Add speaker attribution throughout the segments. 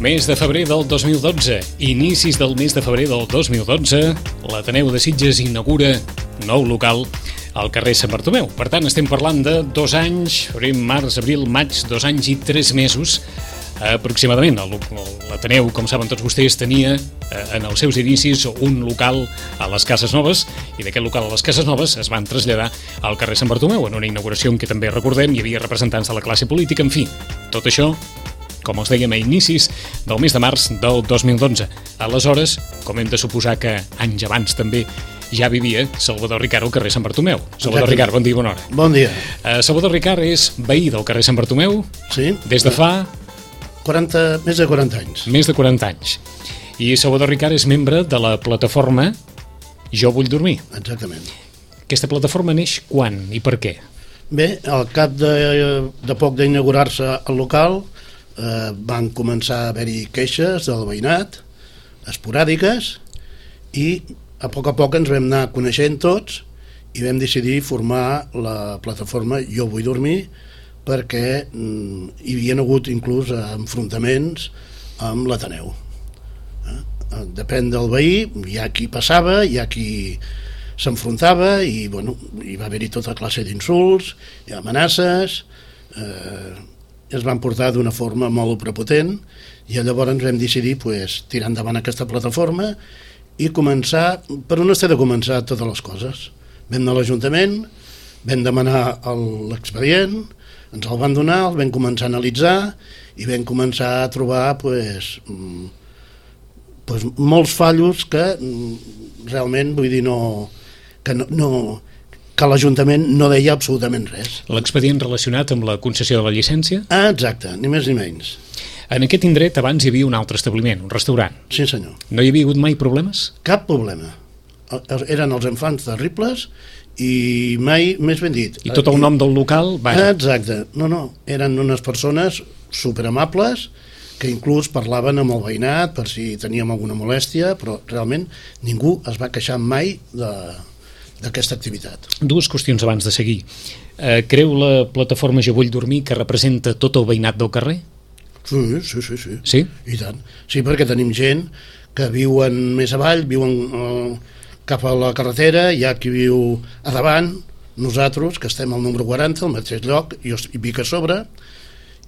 Speaker 1: Mes de febrer del 2012, inicis del mes de febrer del 2012, l'Ateneu de Sitges inaugura nou local al carrer Sant Bartomeu. Per tant, estem parlant de 2 anys, febrer, març, abril, maig, 2 anys i 3 mesos aproximadament. L'Ateneu, com saben tots vostès, tenia en els seus inicis un local a les Cases Noves, i d'aquest local a les Cases Noves es van traslladar al carrer Sant Bartomeu en una inauguració en què també recordem hi havia representants de la classe política. En fi, tot això, com els dèiem, a inicis del mes de març del 2012. Aleshores, com hem de suposar que anys abans també ja vivia Salvador Ricart al carrer Sant Bartomeu. Salvador Ricart, bon dia, bona hora.
Speaker 2: Bon dia.
Speaker 1: Salvador Ricart és veí del carrer Sant Bartomeu,
Speaker 2: sí,
Speaker 1: des de fa...
Speaker 2: més de 40 anys.
Speaker 1: Més de 40 anys. I Salvador Ricart és membre de la plataforma Jo Vull Dormir.
Speaker 2: Exactament.
Speaker 1: Aquesta plataforma neix quan i per què?
Speaker 2: Bé, al cap de poc d'inaugurar-se el local van començar a haver-hi queixes del veïnat, esporàdiques, i a poc ens vam anar coneixent tots i vam decidir formar la plataforma Jo Vull Dormir, perquè hi havia hagut inclús enfrontaments amb l'Ateneu. Depèn del veí, hi ha qui passava, hi ha qui s'enfrontava, i bueno, hi va haver-hi tota classe d'insults i amenaces, es van portar d'una forma molt prepotent, i llavors vam decidir tirar endavant aquesta plataforma i començar, per on s'ha de començar totes les coses. Vam anar a l'Ajuntament, vam demanar l'expedient, ens el van donar, el vam començar a analitzar i vam començar a trobar molts fallos que realment, vull dir, que l'Ajuntament no deia absolutament res.
Speaker 1: L'expedient relacionat amb la concessió de la llicència?
Speaker 2: Exacte, ni més ni menys.
Speaker 1: En aquest indret abans hi havia un altre establiment, un restaurant.
Speaker 2: Sí, senyor.
Speaker 1: No hi havia hagut mai problemes?
Speaker 2: Cap problema. Eren els infants terribles i mai, més ben dit...
Speaker 1: I tot el nom del local?
Speaker 2: Exacte. No, eren unes persones superamables que inclús parlaven amb el veïnat per si teníem alguna molèstia, però realment ningú es va queixar mai d'aquesta activitat.
Speaker 1: 2 qüestions abans de seguir. Creu la plataforma Jo Vull Dormir que representa tot el veïnat del carrer?
Speaker 2: Sí.
Speaker 1: Sí?
Speaker 2: I tant. Sí, perquè tenim gent que viuen més avall, viuen cap a la carretera, hi ha qui viu a davant, nosaltres, que estem al número 40, al mateix lloc, jo vic a sobre,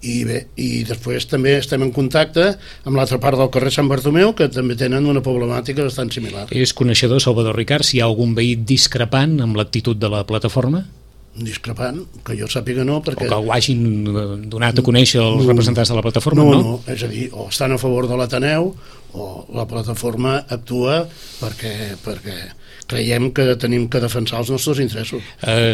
Speaker 2: i bé, i després també estem en contacte amb l'altra part del carrer Sant Bartomeu, que també tenen una problemàtica bastant similar.
Speaker 1: És coneixedor, Salvador Ricart, si hi ha algun veí discrepant amb l'actitud de la plataforma?
Speaker 2: Discrepant, que jo sàpiga no, perquè...
Speaker 1: O que ho hagin donat a conèixer els representants de la plataforma, no?
Speaker 2: No, és a dir, o estan a favor de l'Ateneu o la plataforma actua perquè creiem que tenim que defensar els nostres interessos.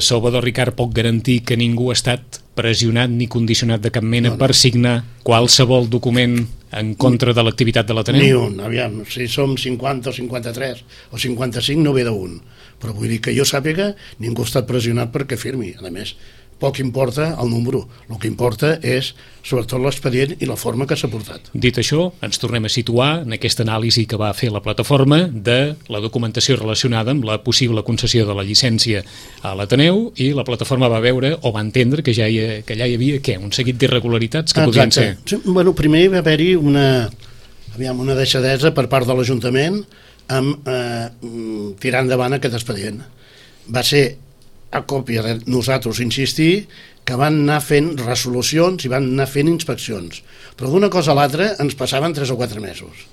Speaker 1: Salvador Ricart pot garantir que ningú ha estat pressionat ni condicionat de cap mena per signar qualsevol document en contra de l'activitat de l'Ateneu?
Speaker 2: Ni un, aviam, si som 50 o 53 o 55 no ve d'un, però vull dir que jo sàpiga ningú ha estat pressionat perquè firmi. A més, poc importa el número, el que importa és sobretot l'expedient i la forma que s'ha portat.
Speaker 1: Dit això, ens tornem a situar en aquesta anàlisi que va fer la plataforma de la documentació relacionada amb la possible concessió de la llicència a l'Ateneu, i la plataforma va veure o va entendre que allà hi havia un seguit d'irregularitats que podien ser.
Speaker 2: Sí, bueno, primer va haver-hi una deixadesa per part de l'Ajuntament amb tirar endavant aquest expedient. Va ser a còpia de nosaltres insistir que van anar fent resolucions i van anar fent inspeccions, però d'una cosa a l'altra ens passaven 3 o 4 mesos.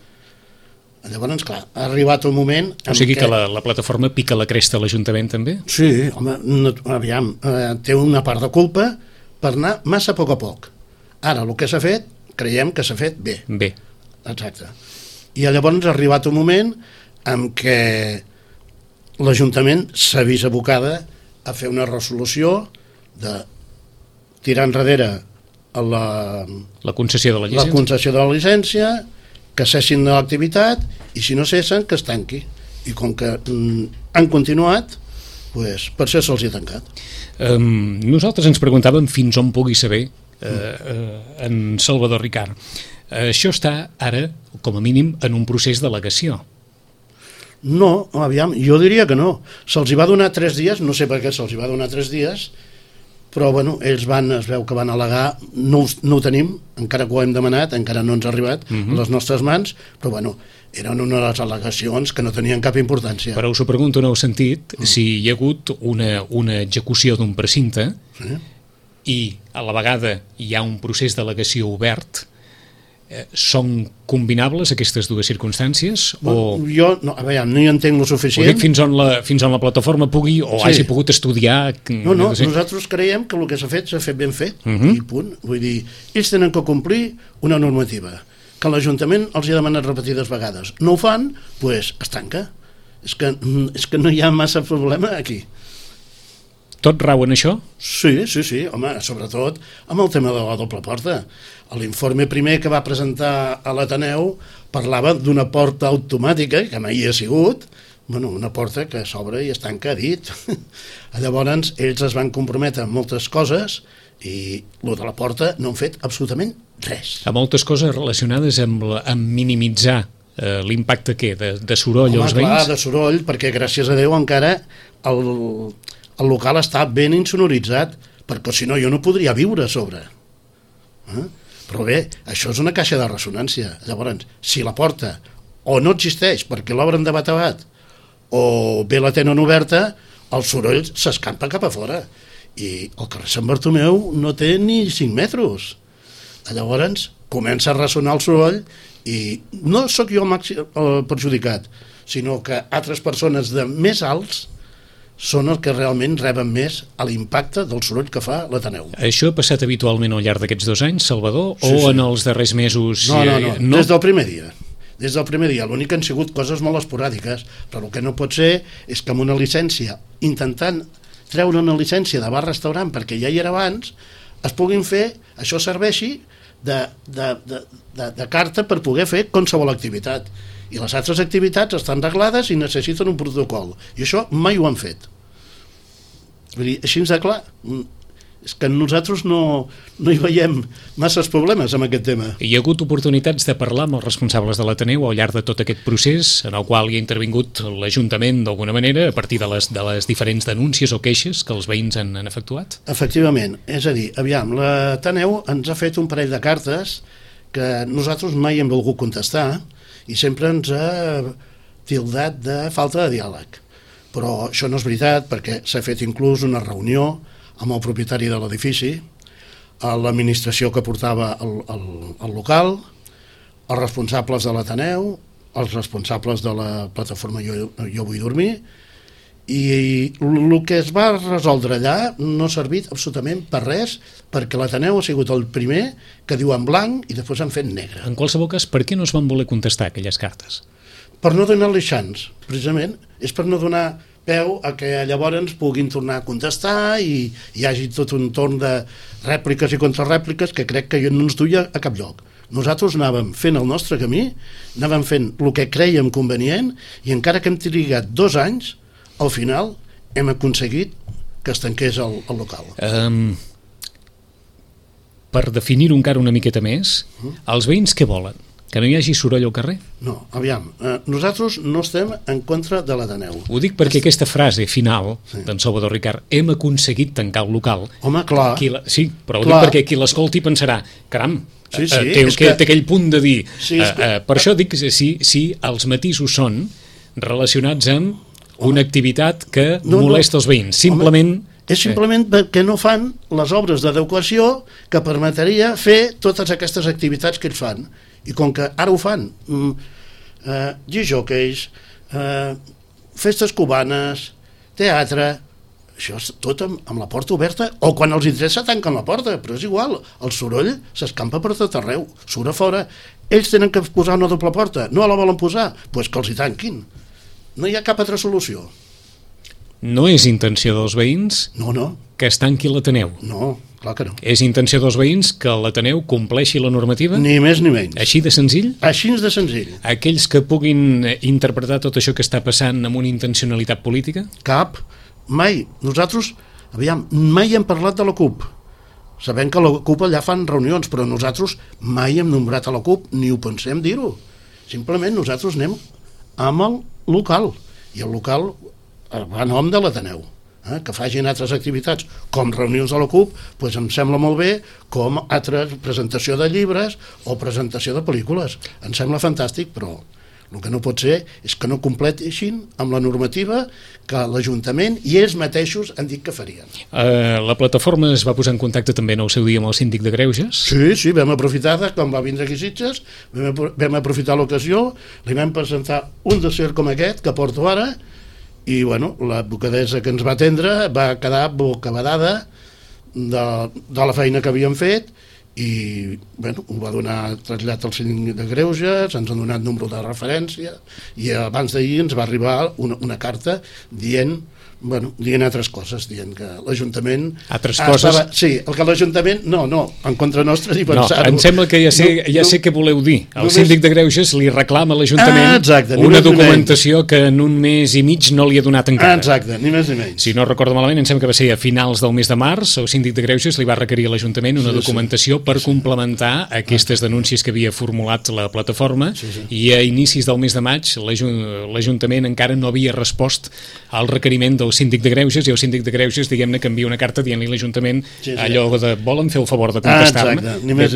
Speaker 2: Llavors, clar, ha arribat un moment...
Speaker 1: O sigui que la plataforma pica la cresta a l'Ajuntament també?
Speaker 2: Sí, home, aviam, té una part de culpa per anar massa a poc. Ara, el que s'ha fet, creiem que s'ha fet bé.
Speaker 1: Bé.
Speaker 2: Exacte. I llavors ha arribat un moment en què l'Ajuntament s'ha vist abocada a fer una resolució de tirar enrere
Speaker 1: la concessió de la llicència.
Speaker 2: La concessió de la llicència, que cessin de l'activitat, i si no cessen, que es tanqui. I com que han continuat, per això se'ls ha tancat.
Speaker 1: Nosaltres ens preguntàvem fins on pugui saber en Salvador Ricart. Això està ara, com a mínim, en un procés d'al·legació.
Speaker 2: No, aviam, jo diria que no. Se'ls hi va donar 3 dies, no sé per què se'ls hi va donar 3 dies, però bueno, ells es veu que van al·legar, no ho tenim, encara que ho hem demanat, encara no ens ha arribat a les nostres mans, però bueno, eren una de les al·legacions que no tenien cap importància.
Speaker 1: Però us ho pregunto en el sentit, si hi ha hagut una execució d'un precinte i a la vegada hi ha un procés d'al·legació obert, són combinables aquestes dues circumstàncies?
Speaker 2: Jo no hi entenc lo suficient.
Speaker 1: Ho dic fins on la plataforma pugui o hagi pogut estudiar.
Speaker 2: No, nosaltres creiem que el que s'ha fet ben fet, i punt. Vull dir, ells tenen que complir una normativa que l'Ajuntament els ha demanat repetides vegades. No ho fan, doncs es tanca. És que no hi ha massa problema aquí.
Speaker 1: Tot rau en això?
Speaker 2: Sí, home, sobretot amb el tema de la doble porta. L'informe primer que va presentar a l'Ateneu parlava d'una porta automàtica, que mai hi ha sigut, una porta que s'obre i es tanca, dit. Llavors, ells es van comprometre amb moltes coses i el de la porta no han fet absolutament res.
Speaker 1: A moltes coses relacionades amb minimitzar l'impacte de soroll als veïns?
Speaker 2: Clar, de soroll, perquè gràcies a Déu encara el local està ben insonoritzat, perquè si no jo no podria viure a sobre. Però bé, això és una caixa de ressonància. Llavors, si la porta o no existeix perquè l'obren de batabat o bé la tenen oberta, el soroll s'escampa cap a fora. I el carrer Sant Bartomeu no té ni 5 metres. Llavors, comença a ressonar el soroll i no sóc jo el perjudicat, sinó que altres persones de més alts són els que realment reben més a l'impacte del soroll que fa l'Ateneu.
Speaker 1: Això ha passat habitualment al llarg d'aquests 2 anys, Salvador, o en els darrers mesos?
Speaker 2: No, des del primer dia. Des del primer dia. L'únic que han sigut coses molt esporàdiques, però el que no pot ser és que amb una llicència, intentant treure una llicència de bar-restaurant, perquè ja hi era abans, es puguin fer, això serveixi de carta per poder fer qualsevol activitat. I les altres activitats estan reglades i necessiten un protocol. I això mai ho han fet. Vull dir, així de clar. És que nosaltres no hi veiem masses problemes amb aquest tema.
Speaker 1: Hi ha hagut oportunitats de parlar amb els responsables de l'Ateneu al llarg de tot aquest procés, en el qual hi ha intervingut l'Ajuntament d'alguna manera, a partir de les diferents denúncies o queixes que els veïns han efectuat?
Speaker 2: Efectivament. És a dir, aviam, l'Ateneu ens ha fet un parell de cartes que nosaltres mai hem volgut contestar i sempre ens ha tildat de falta de diàleg. Però això no és veritat, perquè s'ha fet inclús una reunió amb el propietari de l'edifici, l'administració que portava el local, els responsables de l'Ateneu, els responsables de la plataforma Jo Vull Dormir, i el que es va resoldre allà no ha servit absolutament per res, perquè l'Ateneu ha sigut el primer que diu en blanc i després han fet negre.
Speaker 1: En qualsevol cas, per què no es van voler contestar aquelles cartes?
Speaker 2: Per no donar-li xans, precisament. És per no donar peu a que llavors puguin tornar a contestar i hi hagi tot un torn de rèpliques i contrarèpliques que crec que no ens duia a cap lloc. Nosaltres anàvem fent el nostre camí, anàvem fent el que crèiem convenient i encara que hem trigat 2 anys, al final hem aconseguit que es tanqués el local.
Speaker 1: Per definir-ho encara una miqueta més, els veïns què volen? Que no hi hagi soroll al carrer?
Speaker 2: No, aviam, nosaltres no estem en contra de l'Ateneu.
Speaker 1: Ho dic perquè aquesta frase final d'en Salvador Ricart, hem aconseguit tancar el local.
Speaker 2: Home, clar.
Speaker 1: Sí, però ho dic perquè qui l'escolti pensarà, caram, té aquell punt de dir. Per això dic que si els matisos són relacionats amb una activitat que molesta els veïns. Simplement...
Speaker 2: És simplement que no fan les obres d'adequació que permetria fer totes aquestes activitats que ells fan. I com que ara ho fan, discjòqueis, festes cubanes, teatre, això és tot amb la porta oberta, o quan els interessa tanquen la porta, però és igual, el soroll s'escampa per tot arreu, surt a fora. Ells tenen que posar una doble porta, no la volen posar, doncs que els hi tanquin. No hi ha cap altra solució.
Speaker 1: No és intenció dels veïns que es tanqui l'Ateneu?
Speaker 2: No, clar que no.
Speaker 1: És intenció dels veïns que l'Ateneu compleixi la normativa?
Speaker 2: Ni més ni menys.
Speaker 1: Així de senzill?
Speaker 2: Així de senzill.
Speaker 1: Aquells que puguin interpretar tot això que està passant amb una intencionalitat política?
Speaker 2: Cap. Mai. Nosaltres, mai hem parlat de la CUP. Sabem que la CUP allà fan reunions, però nosaltres mai hem nombrat a la CUP, ni ho pensem dir-ho. Simplement nosaltres anem amb el local, i el local va a nom de l'Ateneu. que facin altres activitats com reunions de la CUP, doncs em sembla molt bé, com altra presentació de llibres o presentació de pel·lícules. Em sembla fantàstic, però el que no pot ser és que no completeixin amb la normativa que l'Ajuntament i ells mateixos han dit que farien.
Speaker 1: La plataforma es va posar en contacte també en el seu dia amb el síndic de Greuges?
Speaker 2: Sí, vam aprofitar, quan va vindre aquí a Sitges, vam aprofitar l'ocasió, li vam presentar un dossier com aquest que porto ara, i l'advocadessa que ens va atendre va quedar bocabadada de la feina que havíem fet, i ho va donar trasllat al síndic de Greuges, ens han donat número de referència, i abans d'ahir ens va arribar una carta dient altres coses, dient que l'Ajuntament...
Speaker 1: Altres coses?
Speaker 2: Sí, el que l'Ajuntament... No, en contra nostra ni pensar-ho.
Speaker 1: Em sembla que ja sé què voleu dir. El síndic de Greuges li reclama a l'Ajuntament una documentació que en un mes i mig no li ha donat encara.
Speaker 2: Exacte, ni més ni menys.
Speaker 1: Si no recordo malament, em sembla que va ser a finals del mes de març, el síndic de Greuges li va requerir a l'Ajuntament una documentació per complementar aquestes denúncies que havia formulat la plataforma, i a inicis del mes de maig l'Ajuntament encara no havia respost al requeriment del síndic de Greuges, i el síndic de Greuges, diguem-ne, que envia una carta dient-li a l'Ajuntament allò de volen fer el favor de contestar-me.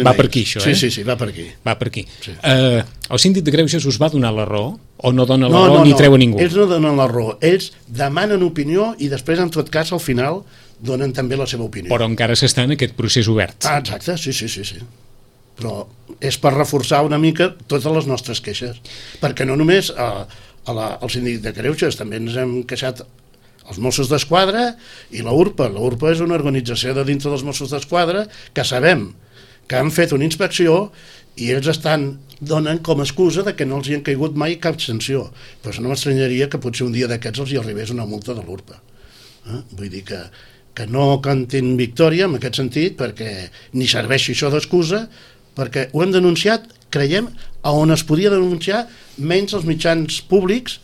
Speaker 1: Va per aquí, això,
Speaker 2: Sí, va per aquí.
Speaker 1: Va per aquí. El síndic de Greuges us va donar la raó o no dona la raó ni treu a ningú?
Speaker 2: Ells no donen la raó, ells demanen opinió i després, en tot cas, al final donen també la seva opinió.
Speaker 1: Però encara s'està en aquest procés obert.
Speaker 2: Exacte, sí. Però és per reforçar una mica totes les nostres queixes, perquè no només al síndic de Greuges, també ens hem queixat els Mossos d'Esquadra i la URPA. La URPA és una organització de dintre dels Mossos d'Esquadra que sabem que han fet una inspecció i ells donen com a excusa de que no els hi han caigut mai cap sanció. Però no m'estranyaria que potser un dia d'aquests els hi arribés una multa de l'URPA. Vull dir que no cantin victòria en aquest sentit, perquè ni serveixi això d'excusa, perquè ho hem denunciat, creiem, a on es podia denunciar, menys els mitjans públics,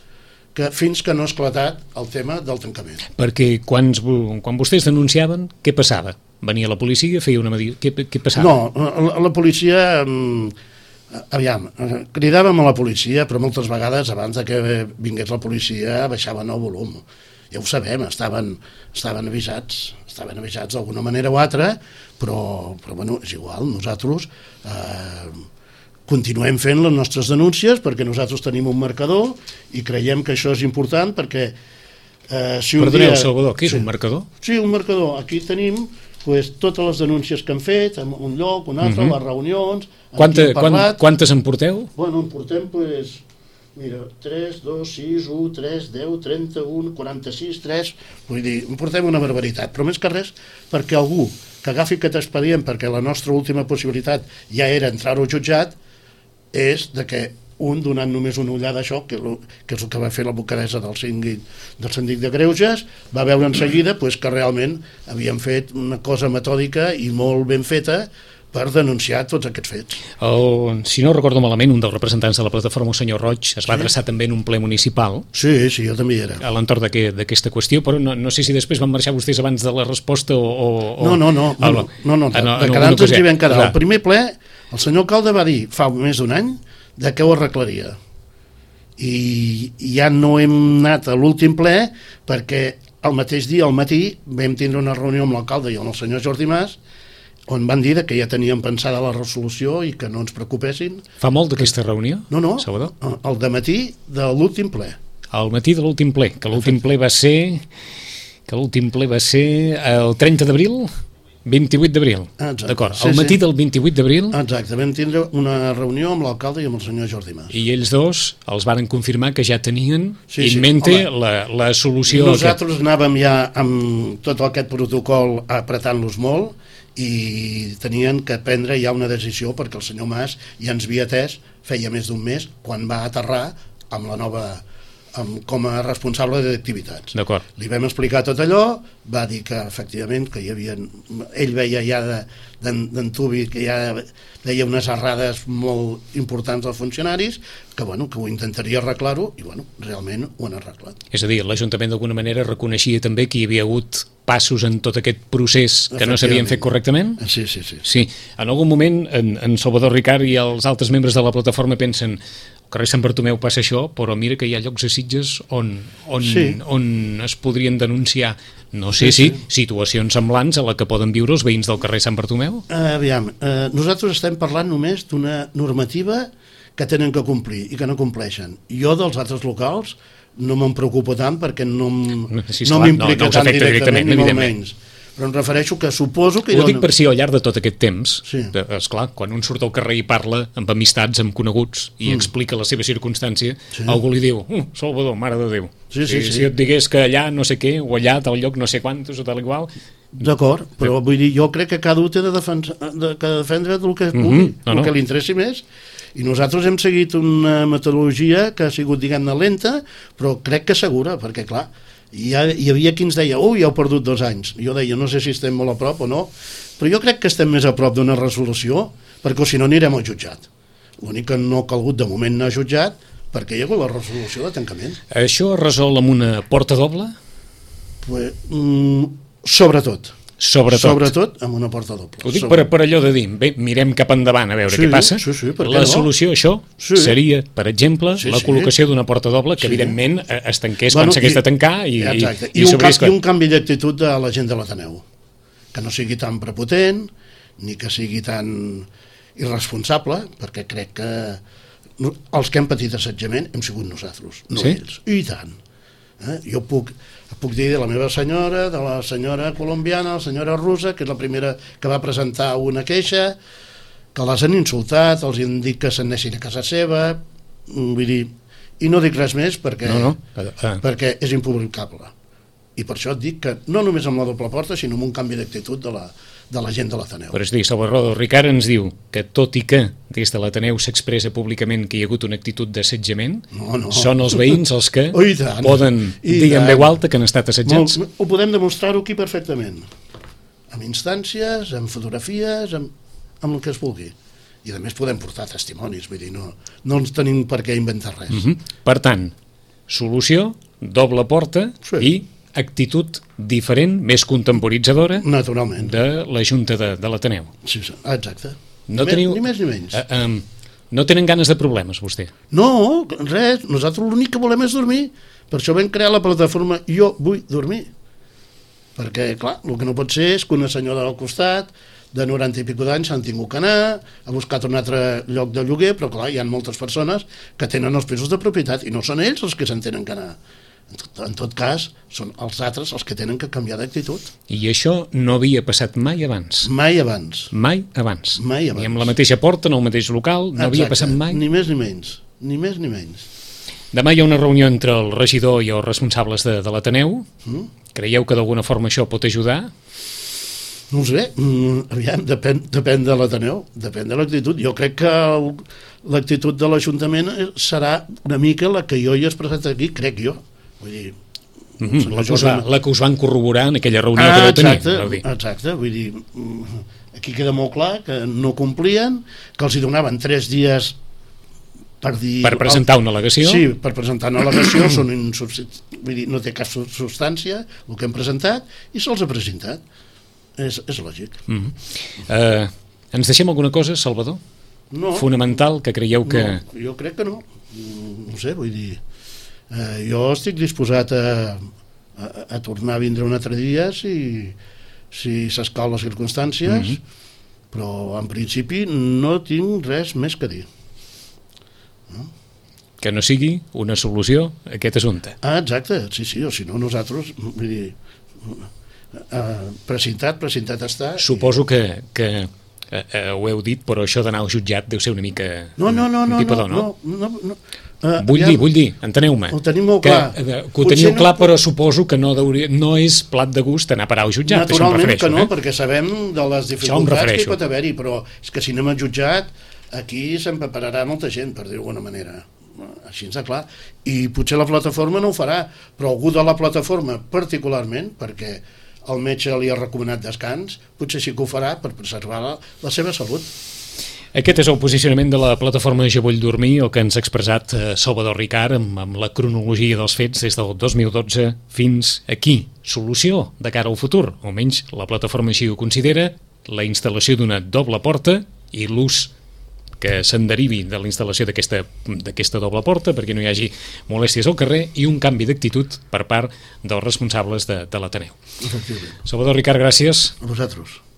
Speaker 2: fins que no ha esclatat el tema del tancament.
Speaker 1: Perquè quan vostès denunciaven, què passava? Venia la policia, feia una medida... Què passava?
Speaker 2: No, la policia... Aviam, cridàvem a la policia, però moltes vegades, abans que vingués la policia, baixaven el volum. Ja ho sabem, estaven avisats d'alguna manera o altra, però és igual, nosaltres... continuem fent les nostres denúncies perquè nosaltres tenim un marcador i creiem que això és important perquè
Speaker 1: Perdoneu, Salvador, què és un marcador?
Speaker 2: Sí, un marcador. Aquí tenim totes les denúncies que han fet en un lloc, un altre, les reunions...
Speaker 1: Quantes en porteu?
Speaker 2: Bueno, en portem, mira, 3, 2, 6, 1, 3, 10, 31, 46, 3... Vull dir, en portem una barbaritat, però més que res perquè algú que agafi aquest expedient, perquè la nostra última possibilitat ja era entrar-ho jutjat, és de que donant només una ullada a això, que és el que va fer l'advocadessa del síndic de Greuges, va veure en seguida que realment havien fet una cosa metòdica i molt ben feta per denunciar tots aquests fets.
Speaker 1: Si no recordo malament, un dels representants de la plataforma, el senyor Roig, es va adreçar també en un ple municipal.
Speaker 2: Sí, jo també hi era.
Speaker 1: A l'entorn d'aquesta qüestió, però no sé si després van marxar vostès abans de la resposta o...
Speaker 2: No, de quedar-nos ens hi vam quedar. El primer ple, el senyor alcalde va dir, fa més d'un any, de què ho arreglaria. I ja no hem anat a l'últim ple perquè el mateix dia, al matí, vam tindre una reunió amb l'alcalde i amb el senyor Jordi Mas, on van dir que ja tenien pensada la resolució i que no ens preocupessin.
Speaker 1: Fa molt d'aquesta reunió?
Speaker 2: No,
Speaker 1: Salvador?
Speaker 2: El dematí de l'últim ple.
Speaker 1: Al matí de l'últim ple, que l'últim ple va ser el 30 d'abril? 28 d'abril, d'acord. Al matí del 28 d'abril...
Speaker 2: Exacte, vam tindre una reunió amb l'alcalde i amb el senyor Jordi Mas.
Speaker 1: I ells dos els varen confirmar que ja tenien en mente la solució...
Speaker 2: Nosaltres anàvem ja amb tot aquest protocol apretant-los molt i tenien que prendre ja una decisió perquè el senyor Mas ja ens havia atès feia més d'un mes quan va aterrar amb la nova... com a responsable d'activitats. Li vam explicar tot allò, va dir que efectivament que hi havia, ell veia ja d'antubi que ja deia unes errades molt importants dels funcionaris, que ho intentaria arreglar-ho i realment ho han arreglat.
Speaker 1: És a dir, l'Ajuntament d'alguna manera reconeixia també que hi havia hagut passos en tot aquest procés que no s'havien fet correctament?
Speaker 2: Sí.
Speaker 1: En algun moment en Salvador Ricard i els altres membres de la plataforma pensen al carrer Sant Bartomeu passa això, però mira que hi ha llocs a Sitges on es podrien denunciar No sé si situacions semblants a la que poden viure els veïns del carrer Sant Bartomeu.
Speaker 2: Aviam, nosaltres estem parlant només d'una normativa que tenen que complir i que no compleixen. Jo dels altres locals no me'n preocupo tant perquè no m'implica tant directament ni molt menys. Però em refereixo que suposo que...
Speaker 1: Ho dic per si al llarg de tot aquest temps, esclar, quan un surt al carrer i parla amb amistats, amb coneguts, i explica la seva circumstància, algú li diu, Salvador, mare de Déu. Si et digués que allà no sé què, o allà tal lloc no sé quantos, o tal igual...
Speaker 2: D'acord, però vull dir, jo crec que cada un té de defendre el que pugui, el que li interessi més. I nosaltres hem seguit una metodologia que ha sigut, diguem-ne, lenta, però crec que segura, perquè, clar, hi havia qui ens deia, ja heu perdut 2 anys. Jo deia, no sé si estem molt a prop o no, però jo crec que estem més a prop d'una resolució, perquè si no anirem al jutjat. L'únic que no ha calgut de moment anar al jutjat, perquè hi ha hagut la resolució de tancament.
Speaker 1: Això es resol amb una porta doble?
Speaker 2: Sobretot amb una porta doble.
Speaker 1: Ho dic per allò de dir, bé, mirem cap endavant a veure què passa. La solució a això seria, per exemple, la col·locació d'una porta doble que evidentment es tanqués quan s'hagués de tancar i
Speaker 2: un canvi d'actitud de la gent de l'Ateneu, que no sigui tan prepotent ni que sigui tan irresponsable, perquè crec que els que hem patit assetjament hem sigut nosaltres, no ells, i tant. Jo puc dir de la meva senyora, de la senyora colombiana, la senyora russa, que és la primera que va presentar una queixa, que les han insultat, els han dit que s'anessin a casa seva, vull dir, i no dic res més perquè és impublicable. I per això et dic que no només amb la doble porta, sinó amb un canvi d'actitud de la gent de l'Ateneu.
Speaker 1: Però és dir, Salvador Ricard ens diu que tot i que des de l'Ateneu s'expressa públicament que hi ha hagut una actitud d'assetjament, són els veïns els que poden dir en veu alta que han estat assetjats.
Speaker 2: Ho podem demostrar-ho aquí perfectament, amb instàncies, amb fotografies, amb el que es vulgui. I a més podem portar testimonis, vull dir, no ens tenim per què inventar res.
Speaker 1: Per tant, solució, doble porta i actitud diferent, més contemporitzadora de la Junta de l'Ateneu.
Speaker 2: Sí, exacte.
Speaker 1: Ni
Speaker 2: més ni menys.
Speaker 1: No tenen ganes de problemes, vostè?
Speaker 2: No, res. Nosaltres l'únic que volem és dormir. Per això vam crear la plataforma Jo vull dormir. Perquè, clar, el que no pot ser és que una senyora al costat de 90 i pico d'anys s'han tingut que anar, ha buscat un altre lloc de lloguer, però clar, hi ha moltes persones que tenen els pisos de propietat i no són ells els que se'n tenen que anar. En tot cas, són els altres els que tenen que canviar d'actitud.
Speaker 1: I això no havia passat mai abans?
Speaker 2: Mai abans.
Speaker 1: Mai abans. Ni amb la mateixa porta, en el mateix local, no havia passat mai?
Speaker 2: Ni més ni menys. Ni més ni menys.
Speaker 1: Demà hi ha una reunió entre el regidor i els responsables de l'Ateneu. Creieu que d'alguna forma això pot ajudar?
Speaker 2: No ho sé, aviam, depèn de l'Ateneu, depèn de l'actitud. Jo crec que l'actitud de l'Ajuntament serà una mica la que jo he expressat aquí, crec jo. Vull dir...
Speaker 1: La que us van corroborar en aquella reunió que vau tenir.
Speaker 2: Exacte, vull dir, aquí queda molt clar que no complien, que els hi donaven 3 dies per dir...
Speaker 1: Per presentar una al·legació?
Speaker 2: Sí, per presentar una al·legació, vull dir, no té cap substància el que hem presentat i se'ls ha presentat. És lògic.
Speaker 1: Ens deixem alguna cosa, Salvador?
Speaker 2: No.
Speaker 1: Fonamental, que creieu que...
Speaker 2: No, jo crec que no. No sé, vull dir... Jo estic disposat a tornar a vindre un altre dia si s'escau les circumstàncies, però en principi no tinc res més que dir.
Speaker 1: Que no sigui una solució a aquest assumpte.
Speaker 2: Exacte, sí, o si no nosaltres, vull dir, presentat està.
Speaker 1: Suposo que ho heu dit, però això d'anar al jutjat deu ser una mica...
Speaker 2: No.
Speaker 1: Vull dir, enteneu-me.
Speaker 2: Ho tenim molt clar.
Speaker 1: Que ho teniu clar, però suposo que no és plat de gust anar a parar al jutjat.
Speaker 2: Naturalment que no, perquè sabem de les dificultats que hi pot haver-hi, però és que si anem al jutjat, aquí s'empapararà molta gent, per dir-ho d'alguna manera. Així ens clar. I potser la plataforma no ho farà, però algú de la plataforma particularment, perquè el metge li ha recomanat descans, potser sí que ho farà per preservar la seva salut.
Speaker 1: Aquest és el posicionament de la plataforma Jo vull dormir, el que ens ha expressat Salvador Ricard amb la cronologia dels fets des del 2012 fins aquí. Solució de cara al futur, almenys la plataforma així ho considera, la instal·lació d'una doble porta i l'ús que se'n derivi de la instal·lació d'aquesta doble porta perquè no hi hagi molèsties al carrer i un canvi d'actitud per part dels responsables de l'Ateneu.
Speaker 2: Efectivament.
Speaker 1: Salvador Ricart, gràcies.
Speaker 2: A vosaltres.